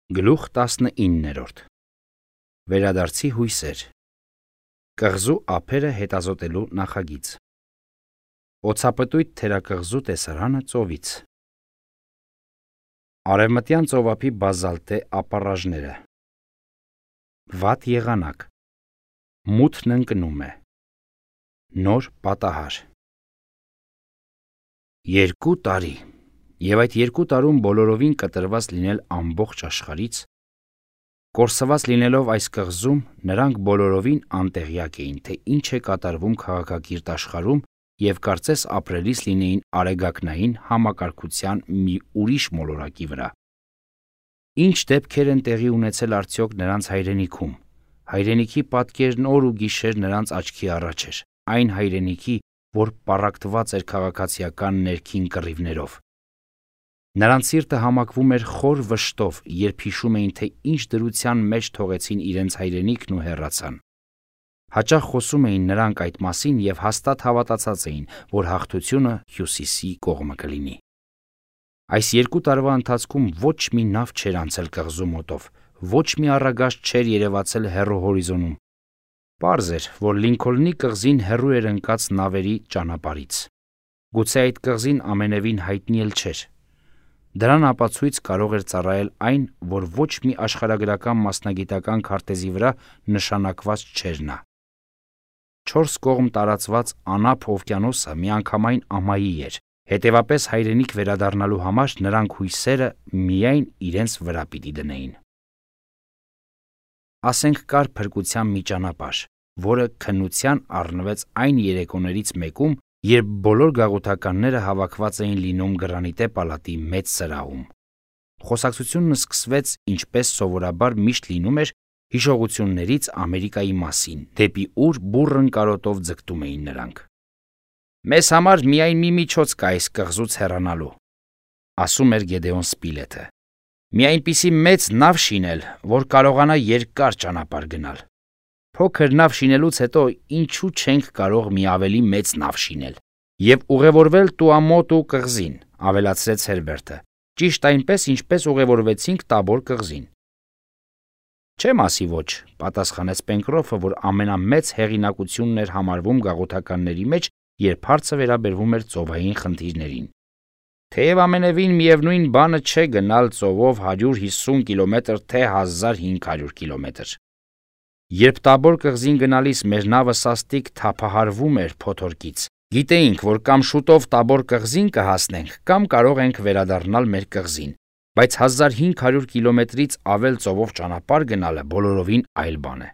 Գլուխ 19 Վերադարձի հույսեր Կղզու ափերը հետազոտելու նախագիծ Օձապտույտ թերակղզու տեսարանը ծովից Արևմտյան ծովափի բազալտե ապառաժները Վատ եղանակ Մութն ընկնում է Նոր պատահար 2 տարի Եվ այդ 2 տարում բոլորովին կտրված լինել ամբողջ աշխարհից, կորսված լինելով այս կղզում, նրանք բոլորովին անտեղյակ էին, թե ինչ է կատարվում քաղաքակիրթ աշխարհում և կարծես ապրելիս լինեին արեգակնային համակարգության մի ուրիշ մոլորակի վրա։ Ինչ դեպքեր են տեղի ունեցել արդյոք նրանց հայրենիքում։ Հայրենիքի պատկերն օր ու գիշեր նրանց աչքի առաջ էր, այն հայրենիքի, որ պառակտված էր քաղաքացիական ներքին կռիվներով։ Նրանց սիրտը համակվում էր խոր վշտով, երբ հիշում էին, թե ինչ դրության մեջ թողեցին իրենց հայրենիքն ու հեռացան։ Հաճախ խոսում էին նրանք այդ մասին և հաստատ հավատացած էին, որ հաղթությունը հյուսիսի կողմը կլինի։ Այս 2 տարվա ընթացքում ոչ մի նավ չէր անցել կղզու մոտով, ոչ մի առագաստ չէր երևացել հեռու հորիզոնում։ Պարզ էր, որ Լինքոլնի կղզին հեռու էր ընկած նավերի ճանապարհից։ Գուցե այդ կղզին ամենևին հայտնի էլ չէր։ Դրան ապացույց կարող էր ծառայել այն, որ ոչ մի աշխարհագրական մասնագիտական քարտեզի վրա նշանակված չէր նա։ 4 կողմ տարածված անափ օվկիանոսը միանգամայն ամայի էր, հետևապես հայրենիք վերադառնալու համար նրանք հույսերը միայն իրենց վրա պիտի դնեին։ Ասենք կար փրկության մի ճանապարհ, որը քննության առնվեց այն երեկոներից մեկում, երբ բոլոր գաղութականները հավաքված էին լինում Գրանիտե պալատի մեծ սրահում։ Խոսակցությունն սկսվեց, ինչպես սովորաբար միշտ լինում էր, հիշողություններից Ամերիկայի մասին, դեպի ուր բուռն կարոտով ձգտում էին նրանք։ «Մեզ համար միայն մի միջոց կա այս կղզուց հեռանալու», ասում էր Գեդեոն Սպիլեթը։ «Մի այնպիսի մեծ նավ շինել, որ կարողանա երկար ճանապարհ գնալ։ Փոքր նավ շինելուց հետո ինչու չենք կարող մի ավելի մեծ նավ շինել և ուղևորվել Տուամոտու կղզին», ավելացրեց Հերբերտը, «ճիշտ այնպես, ինչպես ուղևորվեցինք Տաբոր կղզին»։ «Չեմ ասի ոչ», պատասխանեց Պենկրոֆը, որ ամենամեծ հեղինակությունն էր համարվում գաղութականների մեջ, երբ հարցը վերաբերվում էր ծովային խնդիրներին։ «Թեև ամենևին միևնույն բանը չէ գնալ ծովով 150 կիլոմետր, թե 1500 կիլոմետր։ Երբ Տաբոր կղզին գնալիս մեր նավը սաստիկ թափահարվում էր փոթորկից, գիտեինք, որ կամ շուտով Տաբոր կղզին կհասնենք, կամ կարող ենք վերադառնալ մեր կղզին, բայց 1500 կիլոմետրից ավել ծովով ճանապարհ գնալը բոլորովին այլ բան է։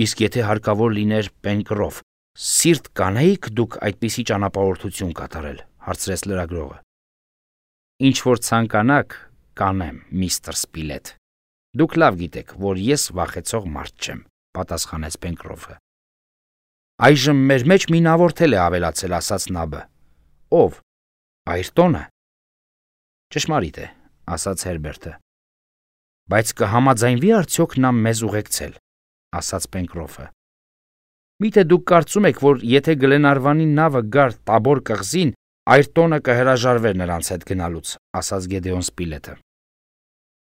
Իսկ եթե հարկավոր լիներ, Պենկրոֆ, սիրտ կանեիք դուք այդպիսի ճանապարհորդություն կատարել, հարցրեց լրագրողը։ Ինչ որ ցանկանաք, կանեմ, միստր Սպիլեթ։ Դուք լավ գիտեք, որ ես վախեցող մարդ չեմ, պատասխանեց Պենկրոֆը։ Այժմ մեր մեջ մի նավորդ էլ է ավելացել, ասաց Նաբը։ Ով։ Այրտոնը։ Ճշմարիտ է, ասաց Հերբերտը։ Բայց կհամաձայնվի արդյոք նա մեզ ուղեկցել, ասաց Պենկրոֆը։ Միթե դուք կարծում եք, որ եթե Գլենարվանի նավը գար Տաբոր կղզին, Այրտոնը կհրաժարվեր նրանց հետ գնալուց, ասաց Գեդեոն Սպիլեթը։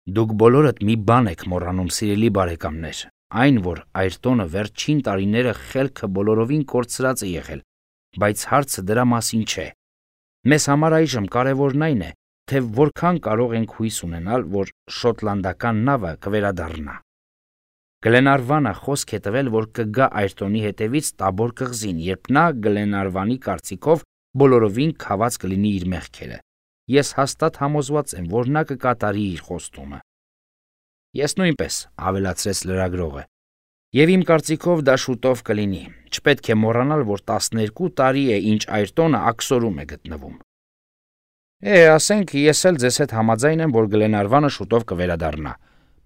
Դուք բոլորդ մի բան եք մոռանում, սիրելի բարեկամներ, այն, որ Այրտոնը վերջին տարիները խելքը բոլորովին կորցրած է եղել, բայց հարցը դրա մասին չէ։ Մեզ համար այժմ կարևորն այն է, թե որքան կարող ենք հույս ունենալ, որ շոտլանդական նավը կվերադառնա։ Գլենարվանը խոսք է տվել, որ կգա Այրտոնի հետևից Տաբոր կղզին, երբ նա Գլենարվանի կարծիքով բոլորովին քաված կլինի իր մեղքերը։ Ես հաստատ համոզված եմ, որ նա կկատարի իր խոստումը։ Ես նույնպես, ավելացրեց լրագրողը, եւ իմ կարծիքով դա շուտով կլինի։ Չպետք է մոռանալ, որ 12 տարի է, ինչ Այրտոնը աքսորում է գտնվում։ Ասենք, ես էլ ձեզ հետ համաձայն եմ, որ Գլենարվանը շուտով կվերադառնա,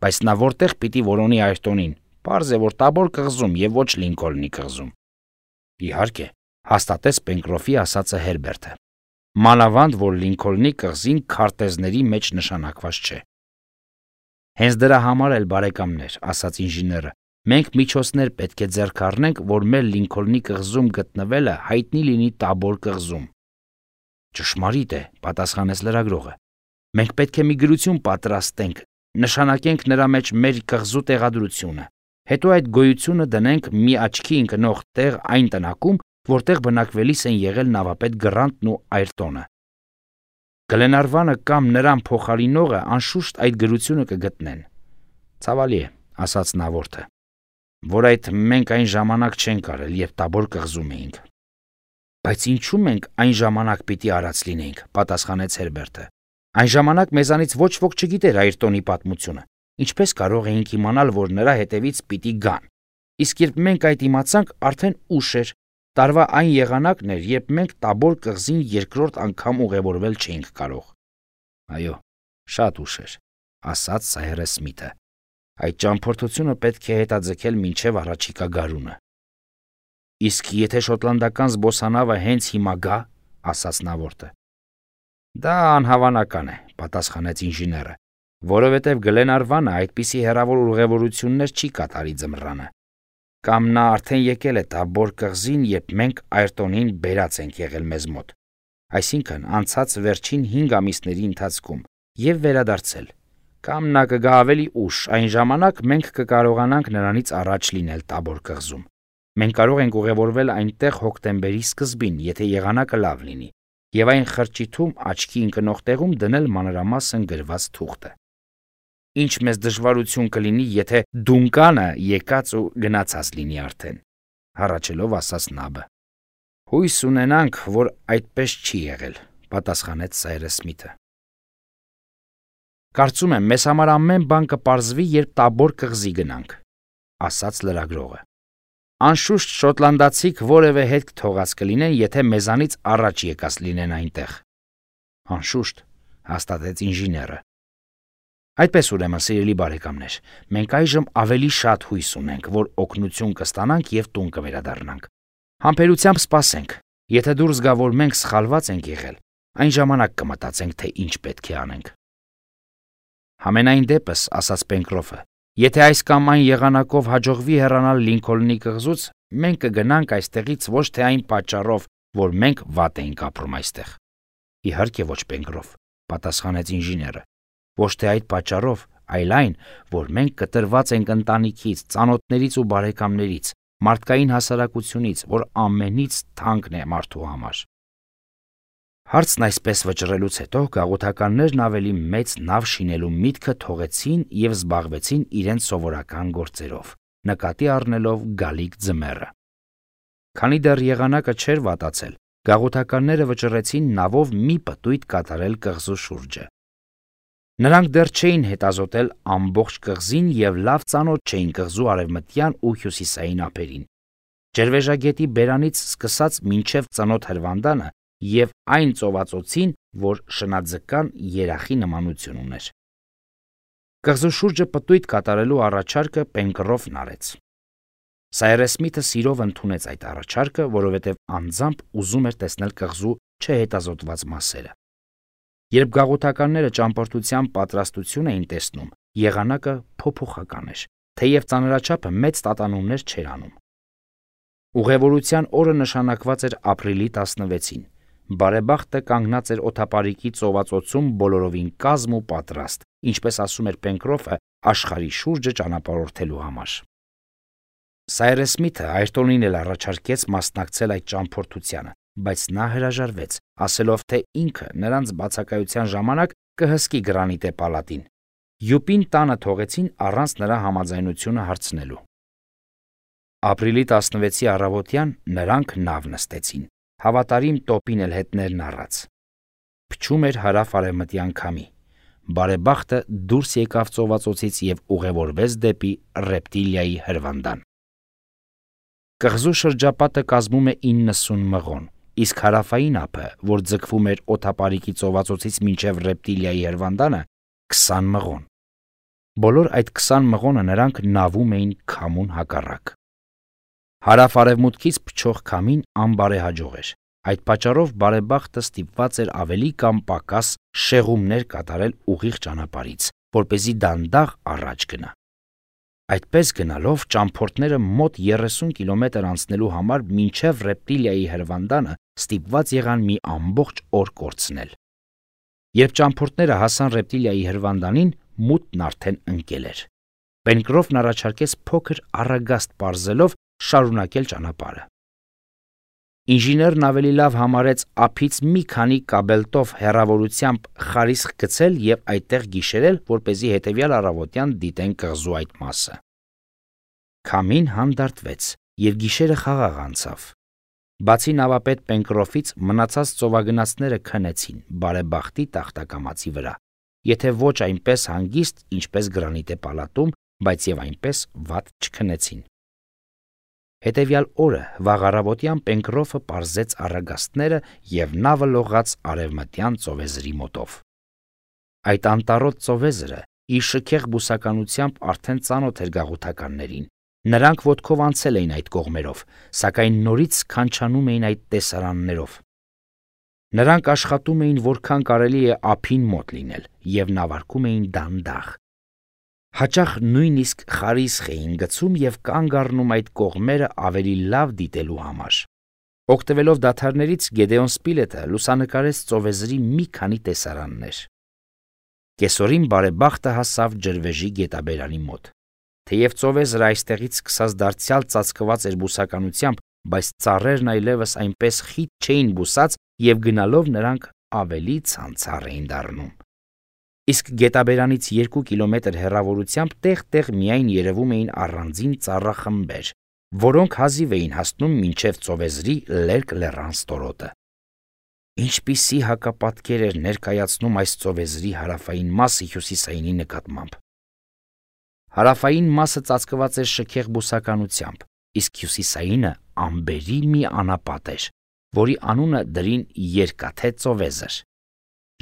բայց նա որտեղ պիտի որոնի Այրտոնին։ Պարզ է, որ Տաբոր կղզում եւ ոչ Լինքոլնի կղզում։ Իհարկե, հաստատեց Պենկրոֆի ասածը Հերբերտը։ Մանավանդ, որ Լինքոլնի կղզին քարտեզների մեջ նշանակված չէ։ Հենց դրա համար էլ, բարեկամներ, ասաց ինժեները, մենք միջոցներ պետք է ձեռք առնենք, որ մեր Լինքոլնի կղզում գտնվելը հայտնի լինի Տաբոր կղզում։ Ճշմարիտ է, պատասխանեց լրագրողը։ Մենք պետք է մի գրություն պատրաստենք, նշանակենք նրա մեջ մեր կղզու տեղադրությունը, հետո այդ գոյությունը դնենք մի աչքի ընկնող տեղ այն տնակում, որտեղ բնակվելիս են եղել նավապետ Գրանտն ու Այրտոնը։ Գլենարվանը կամ նրան փոխարինողը անշուշտ այդ գրությունը կգտնեն։ Ցավալի է, ասաց նավորդը, որ այդ մենք այն ժամանակ չենք արել, երբ Տաբոր կղզում էինք։ Բայց ինչու մենք այն ժամանակ պիտի արած լինեինք, պատասխանեց Հերբերտը։ Այն ժամանակ մեզանից ոչ ոք չգիտեր Այրտոնի պատմությունը։ Ինչպես կարող էինք իմանալ, որ նրա հետևից պիտի գան։ Իսկ երբ մենք այդ իմացանք, արդեն ուշ էր։ Տարվա այն եղանակն էր, երբ մենք Տաբոր կղզին երկրորդ անգամ ուղևորվել չէինք կարող։ Այո, շատ ուշ էր, ասաց Սայրես Սմիթը։ Այդ ճամփորդությունը պետք է հետաձգել մինչև առաջիկա գարունը։ Իսկ եթե շոտլանդական զբոսանավը հենց հիմա գա, ասաց նավորդը։ Դա անհավանական է, պատասխանեց ինժեները, որովհետև Գլենարվանը այդպիսի հեռավոր ուղևորություններ չի կատարի ձմռանը։ Կամ նա արդեն եկել է Տաբոր կղզին, երբ մենք Այրտոնին բերած ենք եղել մեզ մոտ, այսինքն անցած վերջին 5 ամիսների ընթացքում, եւ վերադարձել։ Կամ նա կգա ավելի ուշ, այն ժամանակ մենք կկարողանանք նրանից առաջ լինել Տաբոր կղզում։ Մենք կարող ենք ուղևորվել այնտեղ հոկտեմբերի սկզբին, եթե եղանակը լավ լինի, եւ այն խրճիթում աչքի ընկնող տեղում դնել մանրամասն գրված թուղթը։ Ինչ մեզ դժվարություն կլինի, եթե Դունկանը եկած ու գնացած լինի արդեն, հառաչելով ասաց Նաբը։ Հույս ունենանք, որ այդպես չի եղել, պատասխանեց Սայրես Սմիթը։ Կարծում եմ, մեզ համար ամեն բան կպարզվի, երբ Տաբոր կղզի գնանք, ասաց լրագրողը։ Անշուշտ շոտլանդացիք որևէ հետք թողած կլինեն, եթե մեզանից առաջ եկած լինեն այնտեղ։ Անշուշտ, հաստատեց ինժեները։ Այդպես ուրեմն, սիրելի բարեկամներ, մենք այժմ ավելի շատ հույս ունենք, որ օգնություն կստանանք եւ տուն կվերադառնանք։ Համբերությամբ սպասենք։ Եթե դուրս գա, որ մենք սխալված ենք եղել, այն ժամանակ կմտածենք, թե ինչ պետք է անենք։ Համենայն դեպս, ասաց Պենկրոֆը, եթե այս կամ այն եղանակով հաջողվի հեռանալ Լինքոլնի կղզուց, մենք կգնանք այստեղից ոչ թե այն պատճառով, որ մենք վատ էինք ապրում այստեղ։ Իհարկե ոչ, Պենկրոֆ, պատասխանեց ինժեները։ Ոչ թե այդ պատճառով, այլ այն, որ մենք կտրված ենք ընտանիքից, ծանոթներից ու բարեկամներից, մարդկային հասարակությունից, որ ամենից թանկն է մարդու համար։ Հարցն այսպես վճռելուց հետո գաղութականներն ավելի մեծ նավ շինելու միտքը թողեցին եւ զբաղվեցին իրենց սովորական գործերով, նկատի առնելով գալիք ձմեռը։ Քանի դեռ եղանակը չէր վատացել, գաղութականները վճռեցին նավով մի պտույտ կատարել կղզու շուրջը։ Նրանք դեռ չէին հետազոտել ամբողջ կղզին եւ լավ ծանոթ չէին կղզու արևմտյան ու հյուսիսային ափերին։ Ջերվեժագետի բերանից սկսած մինչև ծնոտ հրվանդանը եւ այն ծովածոցին, որ շնաձկան երախի նմանություն ուներ։ Կղզու շուրջը պտույտ կատարելու առաջարկը Պենկրոֆն արեց։ Սայրես Սմիթը սիրով ընդունեց այդ առաջարկը, որովհետև անձամբ ուզում էր տեսնել կղզու չհետազոտված մասերը։ Երբ գաղութականները ճամփորդության պատրաստություն էին տեսնում, եղանակը փոփոխական էր, թեև ծանրաչափը մեծ տատանումներ չէր անում։ Ուղևորության օրը նշանակված էր ապրիլի 16-ին։ Բարեբախտը կանգնած էր օդապարիկի ծովածոցում բոլորովին կազմ ու պատրաստ, ինչպես ասում էր Պենկրոֆը, աշխարհի շուրջը ճանապարհորդելու համար։ Սայրես Սմիթը Այրտոնին էլ առաջարկեց մասնակցել այդ ճամփորդությանը, բայց նա հրաժարվեց, ասելով, թե ինքը նրանց բացակայության ժամանակ կհսկի Գրանիտե պալատին։ Յուպին տանը թողեցին առանց նրա համաձայնությունը հարցնելու։ Ապրիլի 16-ի առավոտյան նրանք նավ նստեցին, հավատարիմ տոպին էլ հետներն առած։ Փչում էր հարավ-արևմտյան քամի։ Բարեբախտը դուրս եկավ ծովածոցից եւ ուղևորվեց դեպի Ռեպտիլիայի հրվանդան։ Կղզու շրջապատը կազմում է 90 մղոն, իսկ հարավային ափը, որ ձգվում էր օդապարիկի ծովածոցից մինչև Ռեպտիլիայի հրվանդանը, 20 մղոն։ Բոլոր այդ 20 մղոնը նրանք նավում էին քամուն հակառակ։ Հարավ-արևմուտքից փչող քամին անբարեհաջող էր։ Այդ պատճառով բարեբախտը ստիպված էր ավելի կամ պակաս շեղումներ կատարել ուղիղ ճանապարհից, որպեսզի դանդաղ առաջ գնա։ Այդպես գնալով ճամփորդները մոտ 30 կիլոմետր անցնելու համար մինչև Ռեպտիլիայի հրվանդանը ստիպված եղան մի ամբողջ օր կորցնել։ Երբ ճամփորդները հասան Ռեպտիլիայի հրվանդանին, մութն արդեն ընկել էր։ Պենկրոֆն առաջարկեց փոքր առագաստ պարզելով շարունակել ճանապարհը։ Ինժեներն ավելի լավ համարեց ափից մի քանի կաբելտով հեռավորությամբ խարիսխ գցել եւ այդտեղ գիշերել, որպեսզի հետեւյալ առավոտյան դիտեն կղզու այդ մասը։ Քամին հանդարտվեց եւ գիշերը խաղաղ անցավ։ Բացի նավապետ Պենկրոֆից մնացած ծովագնացները քնեցին բարեբախտի տախտակամածի վրա, եթե ոչ այնպես հանգիստ, ինչպես գրանիտե պալատում, բայց եւ այնպես վատ չքնեցին։ Հետևյալ օրը վաղ առավոտյան Պենկրոֆը պարզեց առագաստները եւ նավը լողաց արևմտյան ծովեզրի մոտով։ Այդ անտառոտ ծովեզրը իր շքեղ բուսականությամբ արդեն ծանոթ էր գաղութականներին։ Նրանք ոտքով անցել էին այդ կողմերով, սակայն նորից քանչանում էին այդ տեսարաններով։ Նրանք աշխատում էին որքան կարելի է ափին մոտ լինել եւ նավարկում էին դանդաղ։ Հաճախ նույնիսկ խարիսխ էին գցում եւ կանգ առնում այդ կողմերը ավելի լավ դիտելու համար։ Օգտվելով դադարներից Գեդեոն Սպիլետը լուսանկարեց ծովեզրի մի քանի տեսարաններ։ Կեսօրին բարեբախտը հասավ ջրվեժի գետաբերանի մոտ։ Թեև ծովեզրը այստեղից սկսած դարձյալ ծածկված էր բուսականությամբ, բայց ծառերն այլևս այնպես խիտ չէին բուսած եւ գնալով նրանք ավելի ցանցառ էին դառնում։ Իսկ գետաբերանից 2 կիլոմետր հեռավորությամբ տեղ-տեղ միայն երևում էին առանձին ծառախմբեր, որոնք հազիվ էին հասնում մինչև ծովեզրի լերկ լեռան ստորոտը։ Ինչպիսի հակապատկեր էր ներկայացնում այս ծովեզրի հարավային մասը հյուսիսայինի նկատմամբ։ Հարավային մասը ծածկված էր շքեղ բուսականությամբ, իսկ հյուսիսայինը ամբերի մի անապատ էր, որի անունը դրին Երկաթե ծովեզր։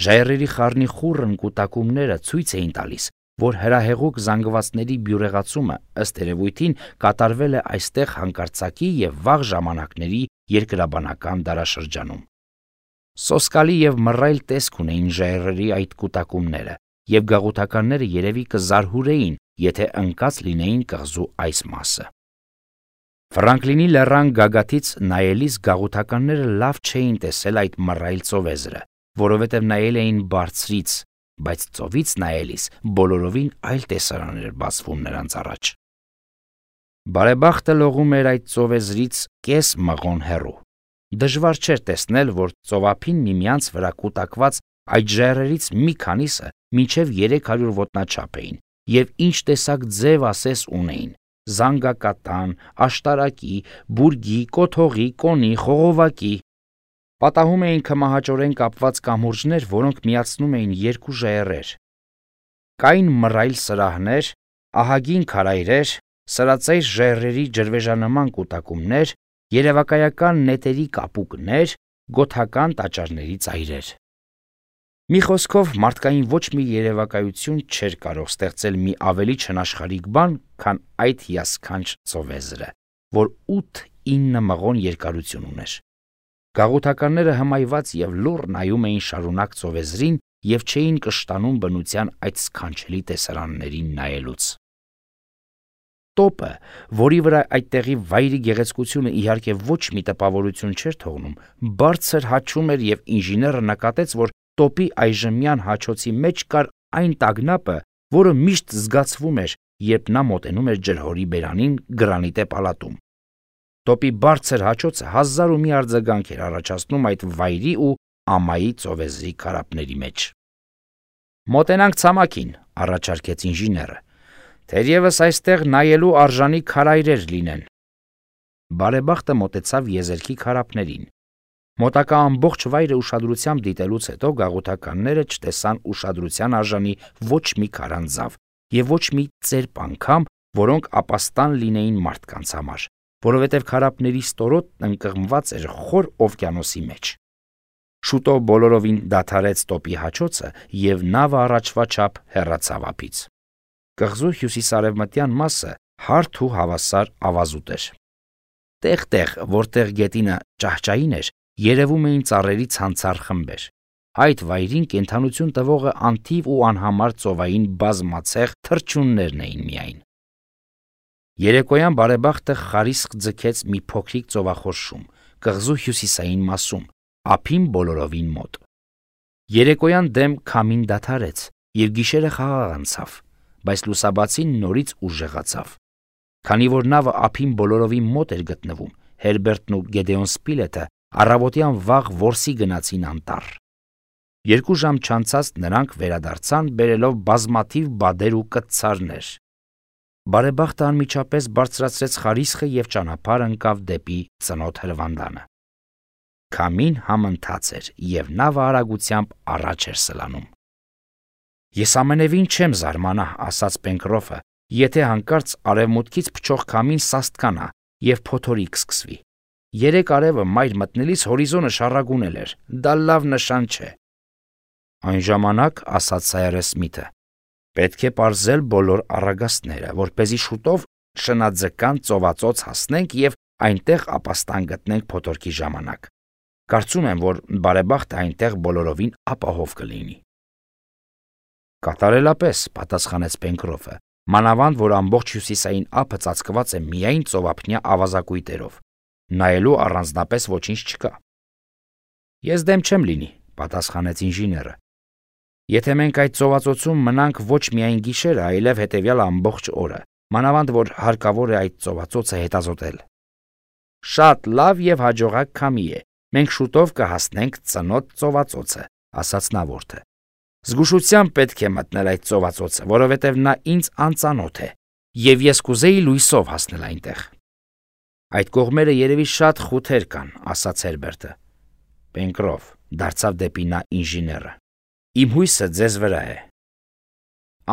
Ժայռերի խառնի խուռն կուտակումները ցույց էին տալիս, որ հրահեղուկ զանգվածների բյուրեղացումը ըստ երևույթին կատարվել է այստեղ հանկարծակի եւ վաղ ժամանակների երկրաբանական դարաշրջանում։ Սոսկալի եւ մռայլ տեսք ունեին ժայռերի այդ կուտակումները, եւ գաղութականները երևի կզարհուրեին, եթե ընկած լինեին կղզու այս մասը։ Ֆրանկլինի լեռան գագաթից նայելիս գաղութականները լավ չէին տեսել այդ մռայլ ծովեզրը, որովհետև նայել էին բարձրից, բայց ծովից նայելիս բոլորովին այլ տեսարան էր բացվում նրանց առաջ։ Բարեբախտը լողում էր այդ ծովեզրից կես մղոն հեռու։ Դժվար չէր տեսնել, որ ծովափին միմյանց վրա կուտակված այդ ժայռերից մի քանիսը մինչև 300 ոտնաչափ էին եւ ինչ տեսակ ձև ասես ունեին՝ զանգակատան, աշտարակի, բուրգի, կոթողի, կոնի, խողովակի։ Պատահում էին քմահաճորեն կապված կամուրջներ, որոնք միացնում էին երկու ժայռեր։ Կային մռայլ սրահներ, ահագին քարայրեր, սրածայր ժայռերի ջրվեժանման կուտակումներ, երևակայական նետերի կապուկներ, գոթական տաճարների ծայրեր։ Մի խոսքով մարդկային ոչ մի երևակայություն չէր կարող ստեղծել մի ավելի չնաշխարհիկ բան, քան այդ հիասքանչ ծովեզրը, որ 8-9 մղոն երկարություն ուներ։ Գաղութականները հմայված եւ լուռ նայում էին շարունակ ծովեզրին եւ չէին կշտանում բնության այդ սքանչելի տեսարաններին նայելուց։ Տոպը, որի վրա այդտեղի վայրի գեղեցկությունը իհարկե ոչ մի տպավորություն չէր թողնում, բարձր հաչում էր եւ ինժեները նկատեց, որ տոպի այժմյան հաչոցի մեջ կար այն տագնապը, որը միշտ զգացվում էր, երբ նա մոտենում էր ջրհորի բերանին գրանիտե պալատում։ Տոպի բարձր հաչոցը հազար ու մի արձագանք էր առաջացնում այդ վայրի ու ամայի ծովեզրի քարափների մեջ։ Մոտենանք ցամաքին, առաջարկեց ինժեները, թերևս այստեղ նայելու արժանի քարայրեր լինեն։ Բարեբախտը մոտեցավ եզերքի քարափներին։ Մոտակա ամբողջ վայրը ուշադրությամբ դիտելուց հետո գաղութականները չտեսան ուշադրության արժանի ոչ մի քարանձավ եւ ոչ մի ծերպ անգամ, որոնք ապաստան լինեին մարդկանց համար, որովհետև քարափների ստորոտն ընկղմված էր խոր օվկիանոսի մեջ։ Շուտով բոլորովին դադարեց տոպի հաչոցը եւ նավը առաջվա չափ հեռացավ ափից։ Կղզու հյուսիսարևմտյան մասը հարթ ու հավասար ավազուտ էր։ Տեղ-տեղ, որտեղ գետինը ճահճային էր, երևում էին ծառերի ցանցառ խմբեր։ Այդ վայրին կենդանություն տվողը անթիվ ու անհամար ծովային բազմացեղ թռչուններն էին միայն։ Երեկոյան բարեբախտը խարիսխ ձգեց մի փոքրիկ ծովախորշում, կղզու հյուսիսային մասում, ափին բոլորովին մոտ։ Երեկոյան դեմ քամին դադարեց, եւ գիշերը խաղաղ անցավ, բայց լուսաբացին նորից ուժեղացավ։ Քանի որ նավը ափին բոլորովին մոտ էր գտնվում, Հերբերտն ու Գեդեոն Սպիլետը առավոտյան վաղ որսի գնացին անտառ։ 2 ժամ չանցած նրանք վերադարձան բերելով բազմաթիվ բադեր ու կտցարներ։ Բարեբախտը անմիջապես բարձրացրեց խարիսխը եւ ճանապարհ ընկավ դեպի ծնոթ հրվանդանը։ Քամին համընթաց էր եւ նավը արագությամբ առաջ էր սլանում։ Ես ամենևին չեմ զարմանա, ասաց Պենկրոֆը, եթե հանկարծ արևմուտքից փչող քամին սաստկանա եւ փոթորիկ սկսվի։ 3 արևը մայր մտնելիս հորիզոնը շառագունել էր, դա լավ նշան չէ։ Այն ժամանակ, ասաց Սայրես Սմիթը, պետք է պարզել բոլոր առագաստները, որպեսզի շուտով շնաձկան ծովածոց հասնենք եւ այնտեղ ապաստան գտնենք փոթորկի ժամանակ։ Կարծում եմ, որ բարեբախտը այնտեղ բոլորովին ապահով կլինի։ Կատարելապես, պատասխանեց Պենկրոֆը, մանավանդ որ ամբողջ հյուսիսային ափը ծածկված է միայն ծովափնյա ավազակույտերով, նայելու առանձնապես ոչինչ չկա։ Ես դեմ չեմ լինի, պատասխանեց ինժեները։ Եթե մենք այդ ծովածոցում մնանք ոչ միայն գիշերը, այլև հետևյալ ամբողջ օրը, մանավանդ որ հարկավոր է այդ ծովածոցը հետազոտել։ Շատ լավ եւ հաջողակ քամի է։ Մենք շուտով կհասնենք ծնոթ ծովածոցը, ասաց նավորդը։ Զգուշությամբ պետք է մտնել այդ ծովածոցը, որովհետև նա ինձ անծանոթ է, եւ ես կուզեի լույսով հասնել այնտեղ։ Այդ կողմերը երևի շատ խութեր կան, ասաց Հերբերտը։ Պենկրոֆ դարձավ դեպի նա ինժեները։ Իմ հույսը ձեզ վրա է։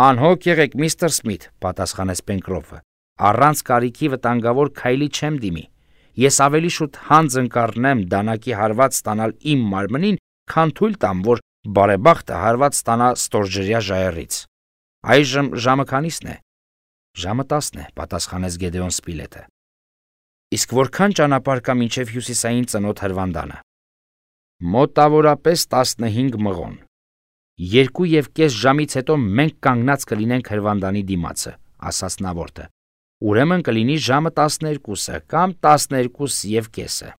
Անհոգ եղեք, միստր Սմիթ, պատասխանեց Պենկրոֆը։ Առանց կարիքի վտանգավոր քայլի չեմ դիմի։ Ես ավելի շուտ հանձն կառնեմ դանակի հարված ստանալ իմ մարմնին, քան թույլ տամ, որ բարեբախտը հարված ստանա ստորջրյա ժայռից։ Այժմ ժամը քանիսն է։ Ժամը 10 է, պատասխանեց Գեդեոն Սպիլետը։ Իսկ որքան ճանապարհ կա մինչև հյուսիսային ծնոթ հրվանդանը։ Մոտավորապես 15 մղոն։ 2.5 ժամից հետո մենք կանգնած կլինենք հրվանդանի դիմացը, ասաց նավորդը։ Ուրեմն կլինի ժամը 12-ը կամ 12.5։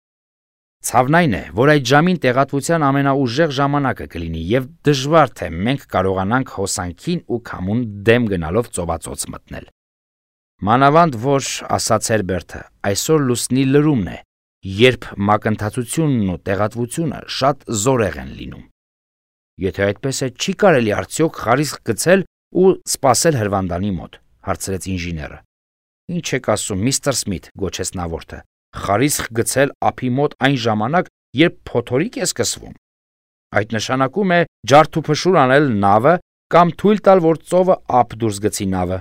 Ցավն այն է, որ այդ ժամին տեղատվության ամենաուժեղ ժամանակը կլինի եւ դժվար թե մենք կարողանանք հոսանքին ու քամուն դեմ գնալով ծովածոց մտնել։ Մանավանդ որ, ասաց Հերբերտը, այսօր լուսնի լրումն է, երբ մակընթացությունն ու տեղատվությունը շատ զորեղ են լինում։ Եթե այդպես է, չի կարելի արդյոք խարիսխ գցել ու սպասել հրվանդանի մոտ, հարցրեց ինժեները։ Ինչ եք ասում, միստր Սմիթ, գոչեց նավորդը, խարիսխ գցել ափի մոտ այն ժամանակ, երբ փոթորիկ է սկսվում։ Այդ նշանակում է ջարդուփշուր անել նավը կամ թույլ տալ, որ ծովը ափ դուրս գցի նավը։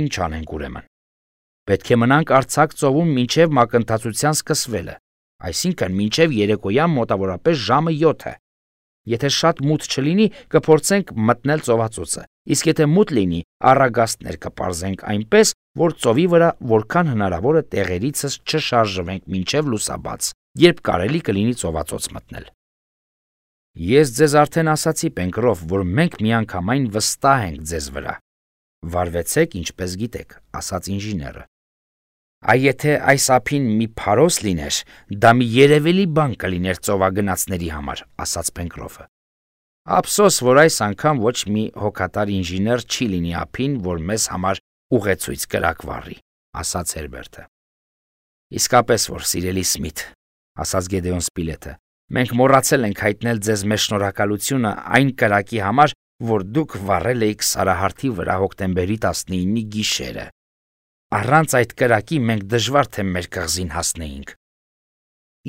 Ինչ անենք ուրեմն։ Պետք է մնանք արձակ ծովում մինչև մակընթացության սկսվելը, այսինքն մինչև երեկոյան մոտավորապես ժամը 7-ը։ Եթե շատ մութ չլինի, կփորձենք մտնել ծովածոցը, իսկ եթե մութ լինի, առագաստներ կպարզենք այնպես, որ ծովի վրա որքան հնարավոր է տեղերիցս չշարժվենք մինչև լուսաբաց, երբ կարելի կլինի ծովածոց մտնել։ Ես ձեզ արդեն ասացի, Պենկրոֆ, որ մենք միանգամայն վստահ ենք ձեզ վրա։ Վարվեցեք, ինչպես գիտեք, ասաց ինժեները։ Այ եթե այս ափին մի փարոս լիներ, դա մի երևելի բան կլիներ ծովագնացների համար, ասաց Պենկրոֆը։ Ափսոս, որ այս անգամ ոչ մի հոգատար ինժեներ չի լինի ափին, որ մեզ համար ուղեցույց կրակվառի, ասաց Հերբերտը։ Իսկապես որ, սիրելի Սմիթ, ասաց Գեդեոն Սպիլետը, մենք մոռացել ենք հայտնել ձեզ մեր շնորհակալությունը այն կրակի համար, որ դուք վառել էիք Սարահարթի վրա հոկտեմբերի 19-ի գիշերը։ Առանց այդ կրակի մենք դժվար թե մեր կղզին հասնեինք։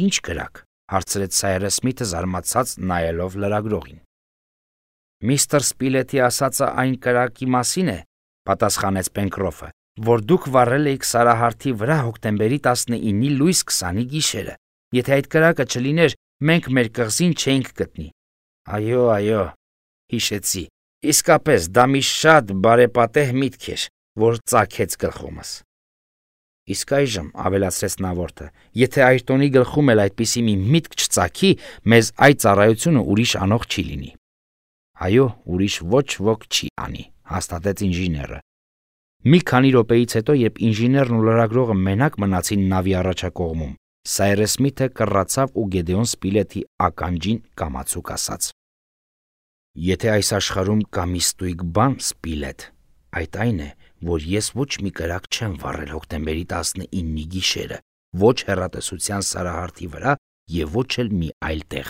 Ինչ կրակ, հարցրեց Սայրես Սմիթը զարմացած նայելով լրագրողին։ Միստր Սպիլետի ասածը այն կրակի մասին է, պատասխանեց Պենկրոֆը, որ դուք վառել էիք Սարահարթի վրա հոկտեմբերի 19-ի լույս 20-ի գիշերը։ Եթե այդ կրակը չլիներ, մենք մեր կղզին չէինք գտնի։ Այո, հիշեցի։ Իսկապես դա մի շատ բարեպատեհ միտք էր, որ ծագեց գլխումս։ Իսկ այժմ, ավելացրեց նավորդը, եթե Այրտոնի գլխում էլ այդպիսի մի միտք չծագի, մեզ այդ ծառայությունը ուրիշ անող չի լինի։ Այո, ուրիշ ոչ ոք չի անի, հաստատեց ինժեները։ Մի քանի րոպեից հետո, երբ ինժեներն ու լրագրողը մենակ մնացին նավի առաջակողմում, Սայրես Սմիթը կռացավ ու Գեդեոն Սպիլետի ականջին կամացուկ ասաց. Եթե այս աշխարհում կա մի ստույգ բան, Սպիլետ, այդ այն է, որ ես ոչ մի կրակ չեմ վառել հոկտեմբերի 19-ի գիշերը, ոչ հեռատեսության սարահարթի վրա և ոչ էլ մի այլ տեղ։